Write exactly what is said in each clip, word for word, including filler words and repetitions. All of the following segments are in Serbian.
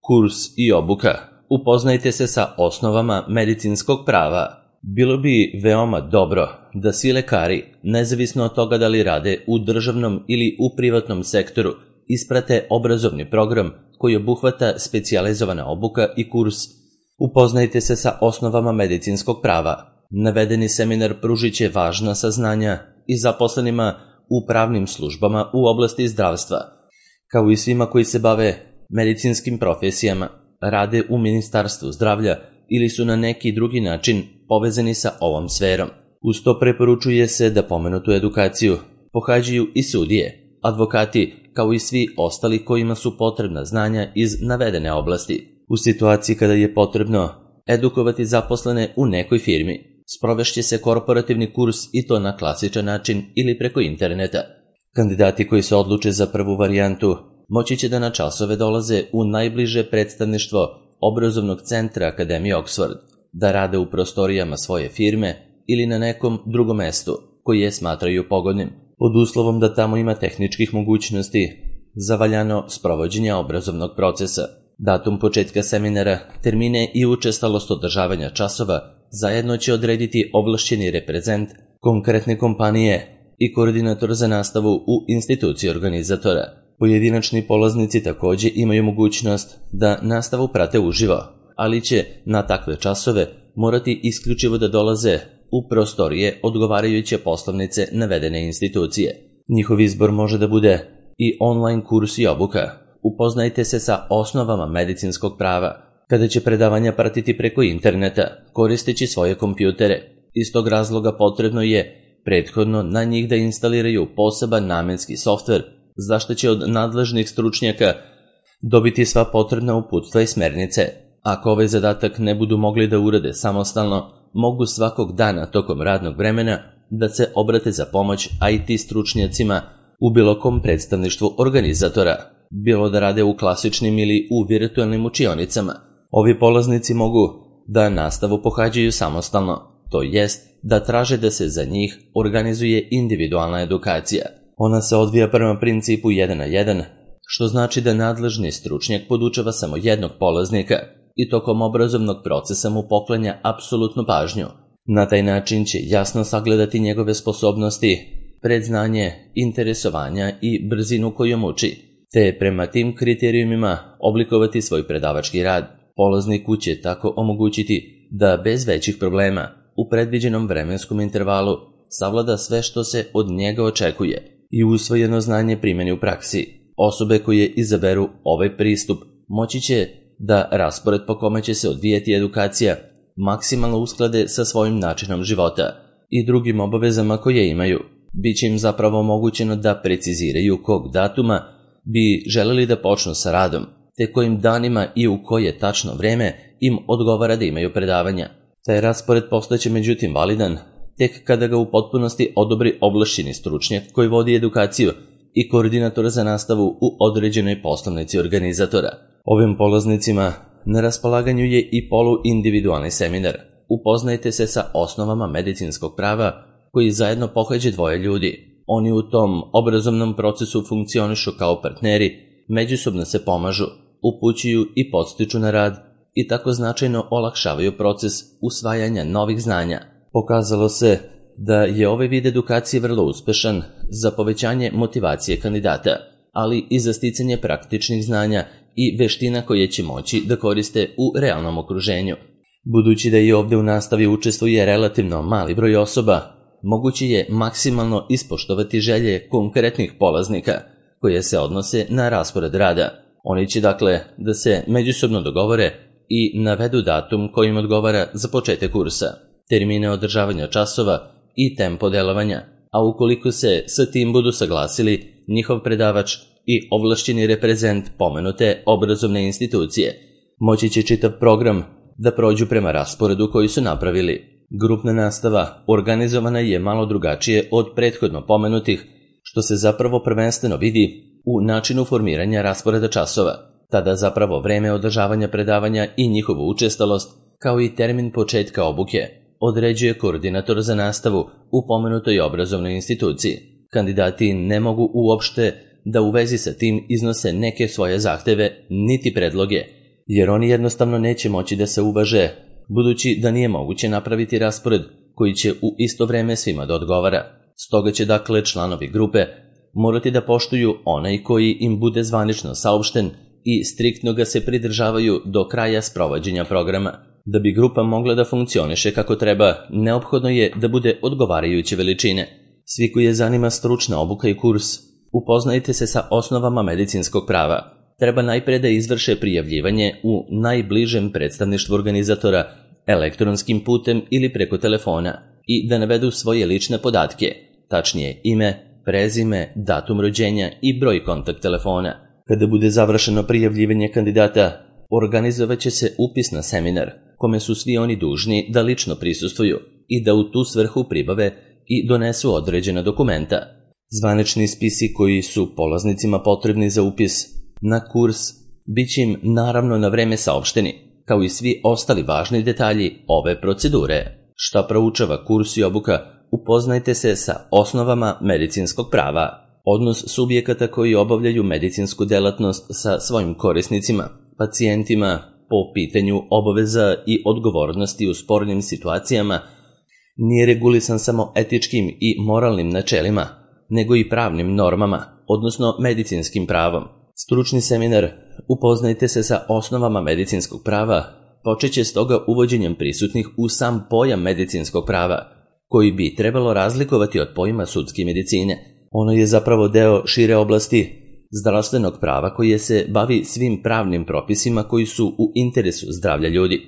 Kurs i obuka. Upoznajte se sa osnovama medicinskog prava. Bilo bi veoma dobro da svi lekari, nezavisno od toga da li rade u državnom ili u privatnom sektoru, isprate obrazovni program koji obuhvata specijalizovana obuka i kurs. Upoznajte se sa osnovama medicinskog prava. Navedeni seminar pružit će važna saznanja i zaposlenima u pravnim službama u oblasti zdravstva, kao i svima koji se bave medicinskim profesijama, rade u Ministarstvu zdravlja ili su na neki drugi način povezani sa ovom sferom. Uz to preporučuje se da pomenutu edukaciju pohađaju i sudije, advokati, kao i svi ostali kojima su potrebna znanja iz navedene oblasti. U situaciji kada je potrebno edukovati zaposlene u nekoj firmi, sprovešće se korporativni kurs i to na klasičan način ili preko interneta. Kandidati koji se odluče za prvu varijantu moći će da na časove dolaze u najbliže predstavništvo obrazovnog centra Akademije Oxford, da rade u prostorijama svoje firme ili na nekom drugom mestu koji je smatraju pogodnim, pod uslovom da tamo ima tehničkih mogućnosti za valjano sprovođenje obrazovnog procesa. Datum početka seminara, termine i učestalost održavanja časova zajedno će odrediti ovlašćeni reprezent konkretne kompanije i koordinator za nastavu u instituciji organizatora. Pojedinačni polaznici takođe imaju mogućnost da nastavu prate uživo, ali će na takve časove morati isključivo da dolaze u prostorije odgovarajuće poslovnice navedene institucije. Njihov izbor može da bude i online kurs i obuka. Upoznajte se sa osnovama medicinskog prava, kada će predavanja pratiti preko interneta, koristeći svoje kompjutere. Iz tog razloga potrebno je prethodno na njih da instaliraju poseban namenski softver, zašto će od nadležnih stručnjaka dobiti sva potrebna uputstva i smernice. Ako ovaj zadatak ne budu mogli da urade samostalno, mogu svakog dana tokom radnog vremena da se obrate za pomoć I T stručnjacima u bilo kom predstavništvu organizatora, bilo da rade u klasičnim ili u virtualnim učionicama. Ovi polaznici mogu da nastavu pohađaju samostalno, to jest da traže da se za njih organizuje individualna edukacija. Ona se odvija prema principu jedan na jedan, što znači da nadležni stručnjak podučava samo jednog polaznika i tokom obrazovnog procesa mu poklanja apsolutnu pažnju. Na taj način će jasno sagledati njegove sposobnosti, predznanje, interesovanja i brzinu kojom uči, te prema tim kriterijumima oblikovati svoj predavački rad. Polazniku će tako omogućiti da bez većih problema u predviđenom vremenskom intervalu savlada sve što se od njega očekuje i usvojeno znanje primeni u praksi. Osobe koje izaberu ovaj pristup moći će da raspored po kome će se odvijati edukacija maksimalno usklade sa svojim načinom života i drugim obavezama koje imaju. Biće im zapravo omogućeno da preciziraju kog datuma bi želeli da počnu sa radom, te kojim danima i u koje tačno vreme im odgovara da imaju predavanja. Taj raspored postaće međutim validan tek kada ga u potpunosti odobri ovlašćeni stručnjak koji vodi edukaciju i koordinator za nastavu u određenoj poslovnici organizatora. Ovim polaznicima na raspolaganju je i poluindividualni seminar. Upoznajte se sa osnovama medicinskog prava koji zajedno pohađe dvoje ljudi. Oni u tom obrazovnom procesu funkcionišu kao partneri, međusobno se pomažu, upućuju i podstiču na rad i tako značajno olakšavaju proces usvajanja novih znanja. Pokazalo se da je ovaj vid edukacije vrlo uspešan za povećanje motivacije kandidata, ali i za sticanje praktičnih znanja i veština koje će moći da koriste u realnom okruženju. Budući da i ovde u nastavi učestvuje relativno mali broj osoba, moguće je maksimalno ispoštovati želje konkretnih polaznika koje se odnose na raspored rada. Oni će dakle da se međusobno dogovore i navedu datum kojim odgovara za početak kursa, termine održavanja časova i tempo delovanja, a ukoliko se sa tim budu saglasili njihov predavač i ovlašćeni reprezent pomenute obrazovne institucije, moći će čitav program da prođu prema rasporedu koji su napravili. Grupna nastava organizovana je malo drugačije od prethodno pomenutih, što se zapravo prvenstveno vidi u načinu formiranja rasporeda časova. Tada zapravo vreme održavanja predavanja i njihovu učestalost, kao i termin početka obuke, određuje koordinator za nastavu u pomenutoj obrazovnoj instituciji. Kandidati ne mogu uopšte da u vezi sa tim iznose neke svoje zahteve niti predloge, jer oni jednostavno neće moći da se uvaže, budući da nije moguće napraviti raspored koji će u isto vreme svima da odgovara. Stoga će dakle članovi grupe morati da poštuju onaj koji im bude zvanično saopšten i striktno ga se pridržavaju do kraja sprovođenja programa. Da bi grupa mogla da funkcioniše kako treba, neophodno je da bude odgovarajuće veličine. Svi koji je zanima stručna obuka i kurs, upoznajte se sa osnovama medicinskog prava. Treba najpre da izvrše prijavljivanje u najbližem predstavništvu organizatora elektronskim putem ili preko telefona i da navedu svoje lične podatke, tačnije ime, prezime, datum rođenja i broj kontakt telefona. Kada bude završeno prijavljivanje kandidata, organizovat će se upis na seminar, kome su svi oni dužni da lično prisustvuju i da u tu svrhu pribave i donesu određena dokumenta. Zvanični spisi koji su polaznicima potrebni za upis na kurs bit će im naravno na vreme saopšteni, kao i svi ostali važni detalji ove procedure. Šta proučava kurs i obuka? Upoznajte se sa osnovama medicinskog prava. Odnos subjekata koji obavljaju medicinsku delatnost sa svojim korisnicima, pacijentima, po pitanju obaveza i odgovornosti u spornim situacijama nije regulisan samo etičkim i moralnim načelima, nego i pravnim normama, odnosno medicinskim pravom. Stručni seminar Upoznajte se sa osnovama medicinskog prava počeće stoga uvođenjem prisutnih u sam pojam medicinskog prava, koji bi trebalo razlikovati od pojma sudske medicine. Ono je zapravo deo šire oblasti zdravstvenog prava koje se bavi svim pravnim propisima koji su u interesu zdravlja ljudi.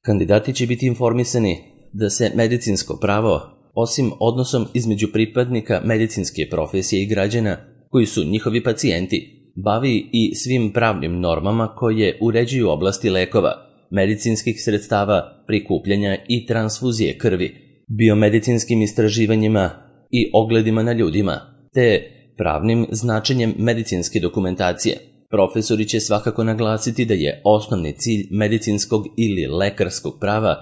Kandidati će biti informisani da se medicinsko pravo, osim odnosom između pripadnika medicinske profesije i građana koji su njihovi pacijenti, bavi i svim pravnim normama koje uređuju oblasti lekova, medicinskih sredstava, prikupljanja i transfuzije krvi, biomedicinskim istraživanjima i ogledima na ljudima, te pravnim značenjem medicinske dokumentacije. Profesori će svakako naglasiti da je osnovni cilj medicinskog ili lekarskog prava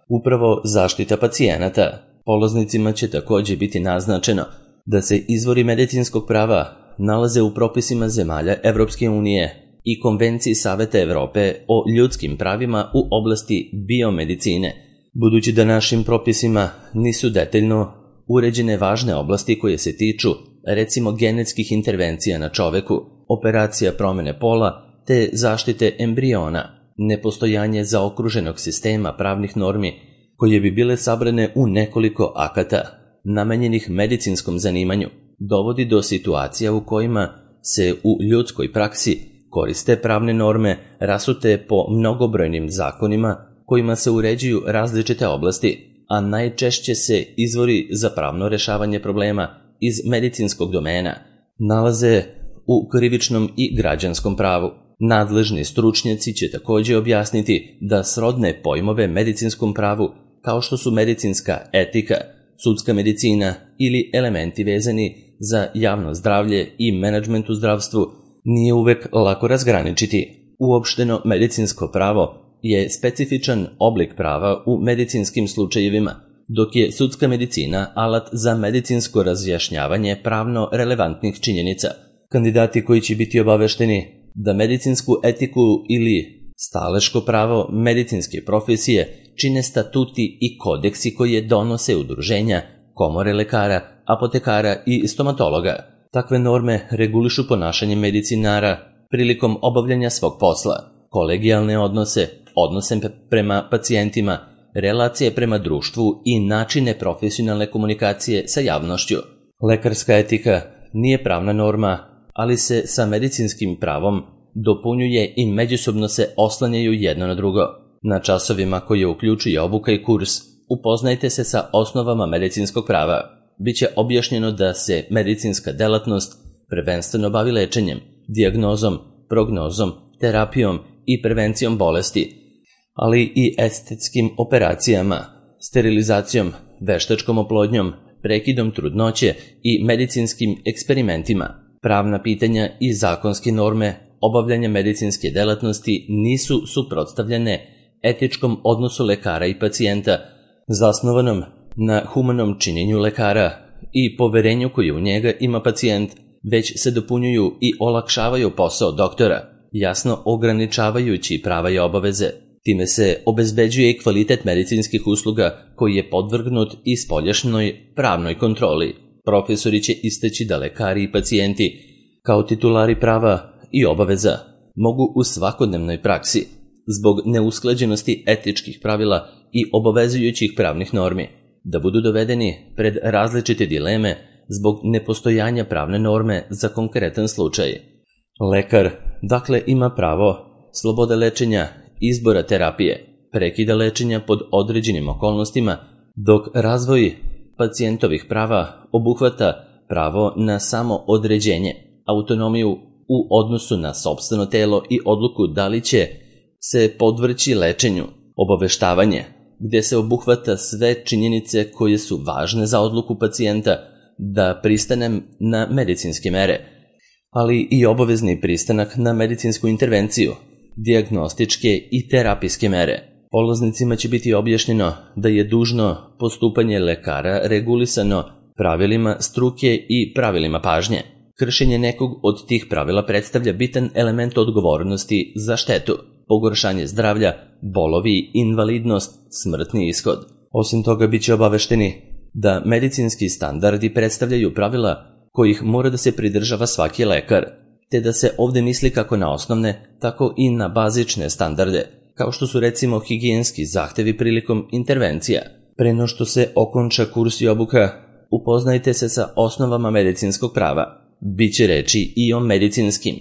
upravo zaštita pacijenata. Polaznicima će također biti naznačeno da se izvori medicinskog prava nalaze u propisima zemalja Evropske unije i Konvenciji Saveta Evrope o ljudskim pravima u oblasti biomedicine, budući da našim propisima nisu detaljno uređene važne oblasti koje se tiču, recimo, genetskih intervencija na čoveku, operacija promene pola te zaštite embriona, nepostojanje zaokruženog sistema pravnih normi koje bi bile sabrane u nekoliko akata namenjenih medicinskom zanimanju, dovodi do situacija u kojima se u ljudskoj praksi koriste pravne norme rasute po mnogobrojnim zakonima kojima se uređuju različite oblasti, a najčešće se izvori za pravno rešavanje problema iz medicinskog domena nalaze u krivičnom i građanskom pravu. Nadležni stručnjaci će također objasniti da srodne pojmove medicinskom pravu, kao što su medicinska etika, sudska medicina ili elementi vezani za javno zdravlje i menadžment u zdravstvu, nije uvek lako razgraničiti. Uopšteno medicinsko pravo je specifičan oblik prava u medicinskim slučajevima, dok je sudska medicina alat za medicinsko razjašnjavanje pravno relevantnih činjenica. Kandidati koji će biti obavešteni da medicinsku etiku ili staleško pravo medicinske profesije čine statuti i kodeksi koje donose udruženja, komore lekara, apotekara i stomatologa. Takve norme regulišu ponašanje medicinara prilikom obavljanja svog posla, kolegijalne odnose, odnose prema pacijentima, relacije prema društvu i načine profesionalne komunikacije sa javnošću. Lekarska etika nije pravna norma, ali se sa medicinskim pravom dopunjuje i međusobno se oslanjaju jedno na drugo. Na časovima koje uključuje obuka i kurs, upoznajte se sa osnovama medicinskog prava. Biće objašnjeno da se medicinska delatnost prvenstveno bavi lečenjem, dijagnozom, prognozom, terapijom i prevencijom bolesti, ali i estetskim operacijama, sterilizacijom, veštačkom oplodnjom, prekidom trudnoće i medicinskim eksperimentima. Pravna pitanja i zakonske norme obavljanja medicinske delatnosti nisu suprotstavljene etičkom odnosu lekara i pacijenta, zasnovanom na humanom činjenju lekara i poverenju koje u njega ima pacijent, već se dopunjuju i olakšavaju posao doktora, jasno ograničavajući prava i obaveze. Time se obezbeđuje i kvalitet medicinskih usluga koji je podvrgnut i spoljašnjoj pravnoj kontroli. Profesori će istaći da lekari i pacijenti, kao titulari prava i obaveza, mogu u svakodnevnoj praksi, zbog neusklađenosti etičkih pravila i obavezujućih pravnih normi, da budu dovedeni pred različite dileme zbog nepostojanja pravne norme za konkretan slučaj. Lekar, dakle, ima pravo slobode lečenja, izbora terapije, prekida lečenja pod određenim okolnostima, dok razvoj pacijentovih prava obuhvata pravo na samo određenje, autonomiju u odnosu na sopstveno telo i odluku da li će se podvrći lečenju, obaveštavanje, gde se obuhvata sve činjenice koje su važne za odluku pacijenta da pristane na medicinske mere, ali i obavezni pristanak na medicinsku intervenciju, dijagnostičke i terapijske mere. Polaznicima će biti objašnjeno da je dužno postupanje lekara regulisano pravilima struke i pravilima pažnje. Kršenje nekog od tih pravila predstavlja bitan element odgovornosti za štetu, pogoršanje zdravlja, bolovi, invalidnost, smrtni ishod. Osim toga, bit će obavešteni da medicinski standardi predstavljaju pravila kojih mora da se pridržava svaki lekar, te da se ovde misli kako na osnovne, tako i na bazične standarde, kao što su recimo higijenski zahtevi prilikom intervencija. Pre no što se okonča kurs i obuka, upoznajte se sa osnovama medicinskog prava. Biće reči i o medicinskim,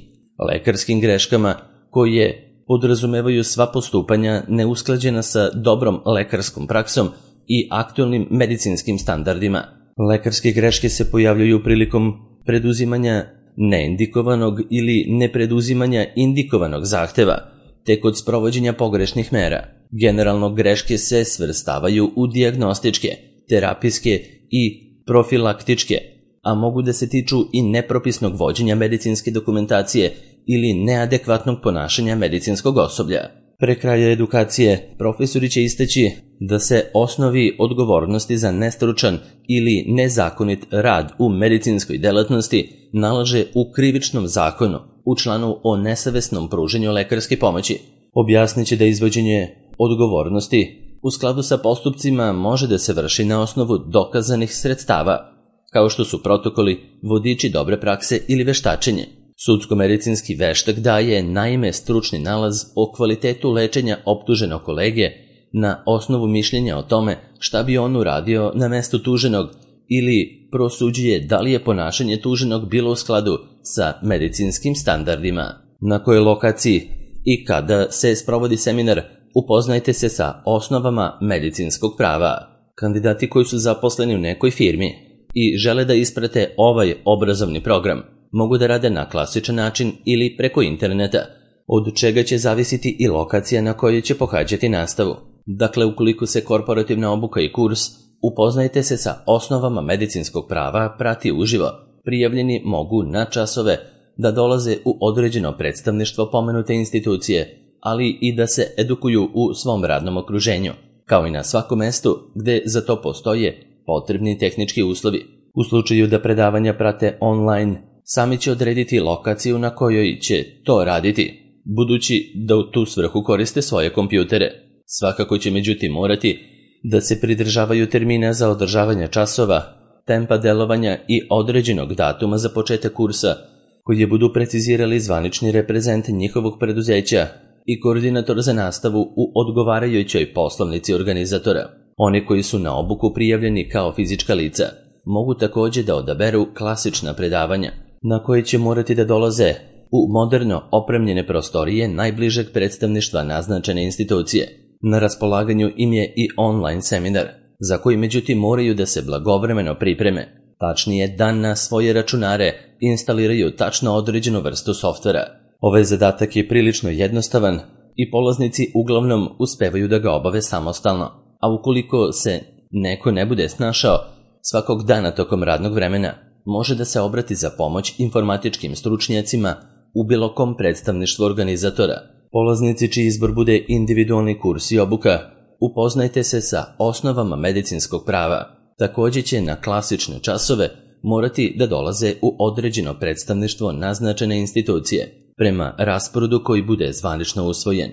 lekarskim greškama koje podrazumevaju sva postupanja neusklađena sa dobrom lekarskom praksom i aktualnim medicinskim standardima. Lekarske greške se pojavljaju prilikom preduzimanja neindikovanog ili nepreduzimanja indikovanog zahteva, te kod sprovođenja pogrešnih mera. Generalno greške se svrstavaju u dijagnostičke, terapijske i profilaktičke, a mogu da se tiču i nepropisnog vođenja medicinske dokumentacije ili neadekvatnog ponašanja medicinskog osoblja. Pre kraja edukacije, profesori će istaći da se osnovi odgovornosti za nestručan ili nezakonit rad u medicinskoj delatnosti nalaže u Krivičnom zakonu u članu o nesavesnom pruženju lekarske pomoći. Objasnit će da izvođenje odgovornosti u skladu sa postupcima može da se vrši na osnovu dokazanih sredstava, kao što su protokoli, vodiči dobre prakse ili veštačenje. Sudsko-medicinski veštak daje naime stručni nalaz o kvalitetu lečenja optuženog kolege na osnovu mišljenja o tome šta bi on uradio na mestu tuženog ili prosuđuje da li je ponašanje tuženog bilo u skladu sa medicinskim standardima. Na kojoj lokaciji i kada se sprovodi seminar, upoznajte se sa osnovama medicinskog prava. Kandidati koji su zaposleni u nekoj firmi i žele da isprate ovaj obrazovni program mogu da rade na klasičan način ili preko interneta, od čega će zavisiti i lokacija na kojoj će pohađati nastavu. Dakle, ukoliko se korporativna obuka i kurs upoznajte se sa osnovama medicinskog prava prati uživo, prijavljeni mogu na časove da dolaze u određeno predstavništvo pomenute institucije, ali i da se edukuju u svom radnom okruženju, kao i na svakom mestu gde za to postoje potrebni tehnički uslovi. U slučaju da predavanja prate online, sami će odrediti lokaciju na kojoj će to raditi, budući da u tu svrhu koriste svoje kompjutere. Svakako će međutim morati da se pridržavaju termina za održavanje časova, tempa delovanja i određenog datuma za početak kursa, koji je budu precizirali zvanični reprezent njihovog preduzeća i koordinator za nastavu u odgovarajućoj poslovnici organizatora. Oni koji su na obuku prijavljeni kao fizička lica mogu takođe da odaberu klasična predavanja, na koje će morati da dolaze u moderno opremljene prostorije najbližeg predstavništva naznačene institucije. Na raspolaganju im je i online seminar, za koji međutim moraju da se blagovremeno pripreme, tačnije da na svoje računare instaliraju tačno određenu vrstu softvera. Ovaj zadatak je prilično jednostavan i polaznici uglavnom uspevaju da ga obave samostalno, a ukoliko se neko ne bude snašao, svakog dana tokom radnog vremena može da se obrati za pomoć informatičkim stručnjacima u bilo kom predstavništvu organizatora. Polaznici čiji izbor bude individualni kurs i obuka, upoznajte se sa osnovama medicinskog prava. Takođe će na klasične časove morati da dolaze u određeno predstavništvo naznačene institucije. prema rasporedu koji bude zvanično usvojen.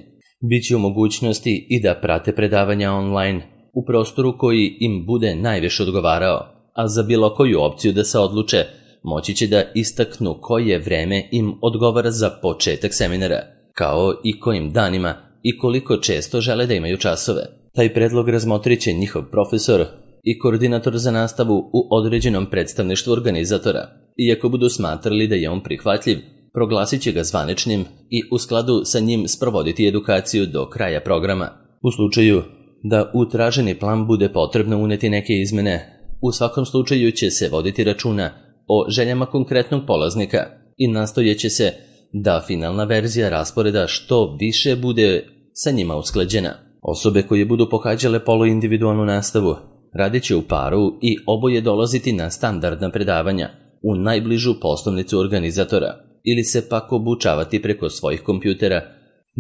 Biće u mogućnosti i da prate predavanja online u prostoru koji im bude najviše odgovarao, a za bilo koju opciju da se odluče, moći će da istaknu koje vreme im odgovara za početak seminara, kao i kojim danima i koliko često žele da imaju časove. Taj predlog razmotrit će njihov profesor i koordinator za nastavu u određenom predstavništvu organizatora. Iako budu smatrali da je on prihvatljiv, proglasit će ga zvaničnim i u skladu sa njim sprovoditi edukaciju do kraja programa. U slučaju da u traženi plan bude potrebno uneti neke izmene, u svakom slučaju će se voditi računa o željama konkretnog polaznika i nastojeće se da finalna verzija rasporeda što više bude sa njima usklađena. Osobe koje budu pohađale poluindividualnu nastavu radit će u paru i oboje dolaziti na standardna predavanja u najbližu poslovnicu organizatora ili se pak obučavati preko svojih kompjutera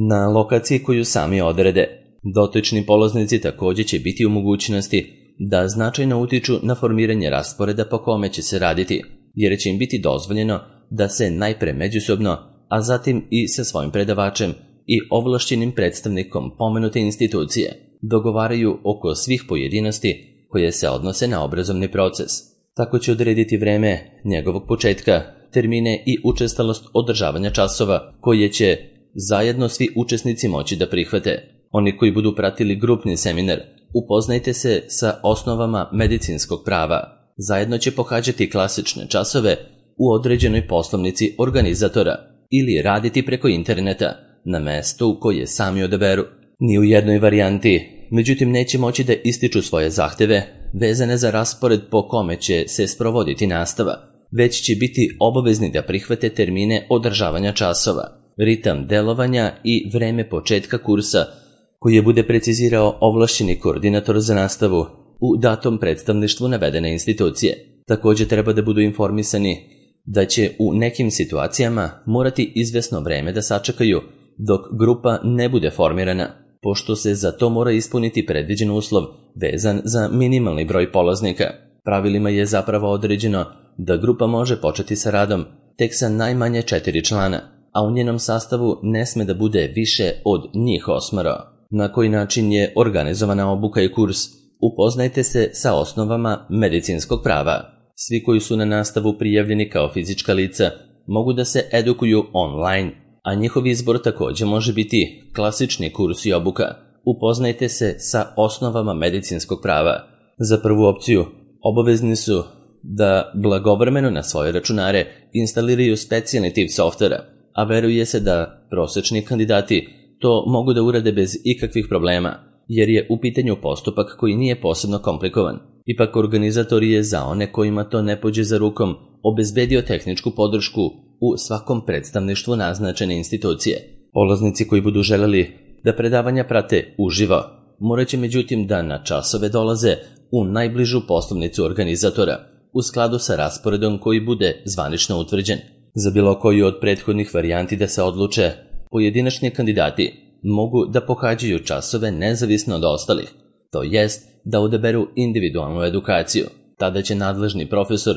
na lokaciji koju sami odrede. Dotični polaznici također će biti u mogućnosti da značajno utiču na formiranje rasporeda po kome će se raditi, jer će im biti dozvoljeno da se najpre međusobno, a zatim i sa svojim predavačem i ovlašćenim predstavnikom pomenute institucije dogovaraju oko svih pojedinosti koje se odnose na obrazovni proces. Tako će odrediti vreme njegovog početka, termine i učestalost održavanja časova koje će zajedno svi učesnici moći da prihvate. Oni koji budu pratili grupni seminar, upoznajte se sa osnovama medicinskog prava. Zajedno će pohađati klasične časove u određenoj poslovnici organizatora ili raditi preko interneta na mestu koje sami odaberu. Ni u jednoj varijanti, međutim, neće moći da ističu svoje zahteve vezane za raspored po kome će se sprovoditi nastava, već će biti obavezni da prihvate termine održavanja časova, ritam delovanja i vreme početka kursa koji bude precizirao ovlašćeni koordinator za nastavu u datom predstavništvu navedene institucije. Također treba da budu informisani da će u nekim situacijama morati izvesno vreme da sačekaju dok grupa ne bude formirana, pošto se za to mora ispuniti predviđen uslov vezan za minimalni broj polaznika. Pravilima je zapravo određeno da grupa može početi sa radom tek sa najmanje četiri člana, a u njenom sastavu ne sme da bude više od njih osmoro. Na koji način je organizovana obuka i kurs? Upoznajte se sa osnovama medicinskog prava. Svi koji su na nastavu prijavljeni kao fizička lica mogu da se edukuju online, a njihov izbor također može biti klasični kurs i obuka. Upoznajte se sa osnovama medicinskog prava. Za prvu opciju obavezni su da blagovremeno na svoje računare instaliraju specijalni tip softvera, a veruje se da prosečni kandidati to mogu da urade bez ikakvih problema, jer je u pitanju postupak koji nije posebno komplikovan. Ipak organizator je za one kojima to ne pođe za rukom obezbedio tehničku podršku u svakom predstavništvu naznačene institucije. Polaznici koji budu želeli da predavanja prate uživo, morat će međutim da na časove dolaze u najbližu poslovnicu organizatora, u skladu sa rasporedom koji bude zvanično utvrđen. Za bilo koju od prethodnih varijanti da se odluče, pojedinačni kandidati mogu da pohađaju časove nezavisno od ostalih, to jest da odaberu individualnu edukaciju. Tada će nadležni profesor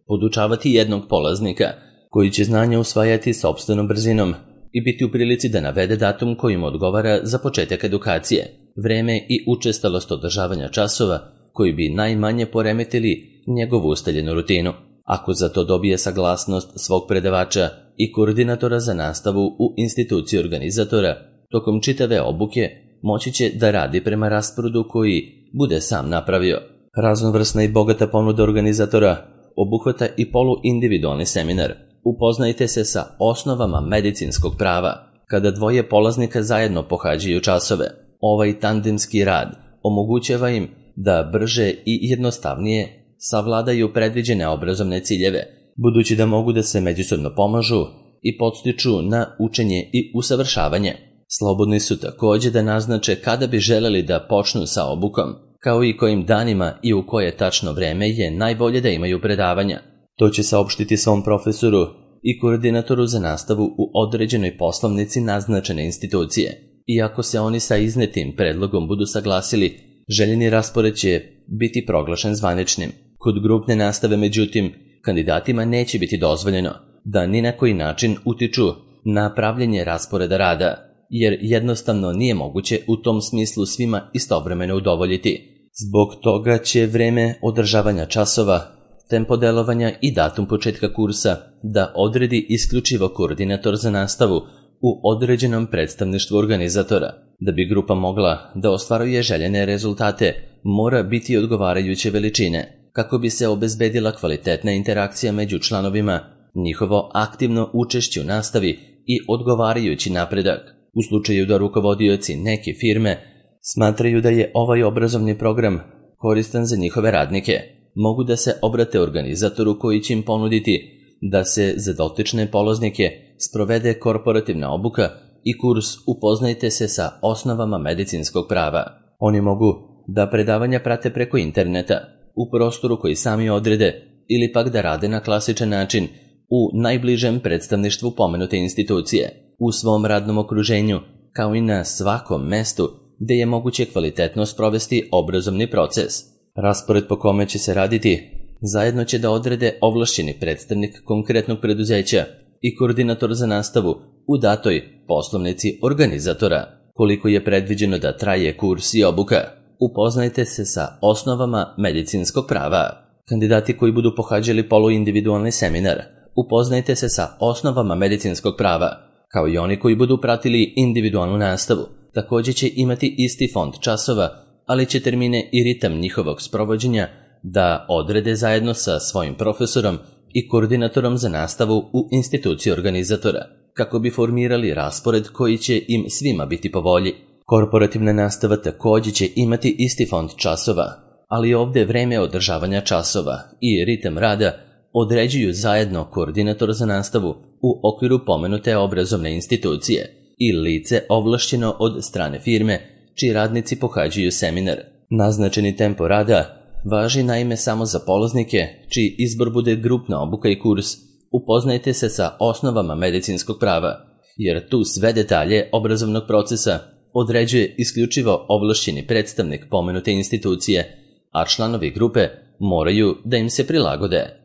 podučavati jednog polaznika koji će znanja usvajati sopstvenom brzinom i biti u prilici da navede datum kojim odgovara za početak edukacije, vreme i učestalost održavanja časova koji bi najmanje poremetili njegovu ustaljenu rutinu. Ako za to dobije saglasnost svog predavača i koordinatora za nastavu u instituciji organizatora, tokom čitave obuke moći će da radi prema rasporedu koji bude sam napravio. Raznovrsna i bogata ponuda organizatora obuhvata i poluindividualni seminar. Upoznajte se sa osnovama medicinskog prava. Kada dvoje polaznika zajedno pohađaju časove, ovaj tandemski rad omogućava im da brže i jednostavnije savladaju predviđene obrazovne ciljeve, budući da mogu da se međusobno pomažu i podstiču na učenje i usavršavanje. Slobodni su također da naznače kada bi želeli da počnu sa obukom, kao i kojim danima i u koje tačno vreme je najbolje da imaju predavanja. To će saopštiti svom profesoru i koordinatoru za nastavu u određenoj poslovnici naznačene institucije. Iako se oni sa iznetim predlogom budu saglasili, željeni raspored će biti proglašen zvaničnim. Kod grupne nastave, međutim, kandidatima neće biti dozvoljeno da ni na koji način utiču na pravljenje rasporeda rada, jer jednostavno nije moguće u tom smislu svima istovremeno udovoljiti. Zbog toga će vreme održavanja časova, tempo delovanja i datum početka kursa da odredi isključivo koordinator za nastavu u određenom predstavništvu organizatora. Da bi grupa mogla da ostvaruje željene rezultate, mora biti odgovarajuće veličine, kako bi se obezbedila kvalitetna interakcija među članovima, njihovo aktivno učešće u nastavi i odgovarajući napredak. U slučaju da rukovodioci neke firme smatraju da je ovaj obrazovni program koristan za njihove radnike, mogu da se obrate organizatoru koji će im ponuditi da se za dotične polaznike sprovede korporativna obuka i kurs Upoznajte se sa osnovama medicinskog prava. Oni mogu da predavanja prate preko interneta, u prostoru koji sami odrede, ili pak da rade na klasičan način u najbližem predstavništvu pomenute institucije, u svom radnom okruženju, kao i na svakom mestu gde je moguće kvalitetno sprovesti obrazovni proces. Raspored po kome će se raditi zajedno će da odrede ovlašćeni predstavnik konkretnog preduzeća i koordinator za nastavu u datoj poslovnici organizatora. Koliko je predviđeno da traje kurs i obuka? Upoznajte se sa osnovama medicinskog prava. Kandidati koji budu pohađali poluindividualni seminar Upoznajte se sa osnovama medicinskog prava, kao i oni koji budu pratili individualnu nastavu, također će imati isti fond časova, ali će termine i ritam njihovog sprovođenja da odrede zajedno sa svojim profesorom i koordinatorom za nastavu u instituciji organizatora, kako bi formirali raspored koji će im svima biti po volji. Korporativna nastava također će imati isti fond časova, ali ovdje vreme održavanja časova i ritam rada određuju zajedno koordinator za nastavu u okviru pomenute obrazovne institucije i lice ovlašćeno od strane firme čiji radnici pohađaju seminar. Naznačeni tempo rada važi naime samo za polaznike čiji izbor bude grupna obuka i kurs Upoznajte se sa osnovama medicinskog prava, jer tu sve detalje obrazovnog procesa određuje isključivo ovlašćeni predstavnik pomenute institucije, a članovi grupe moraju da im se prilagode.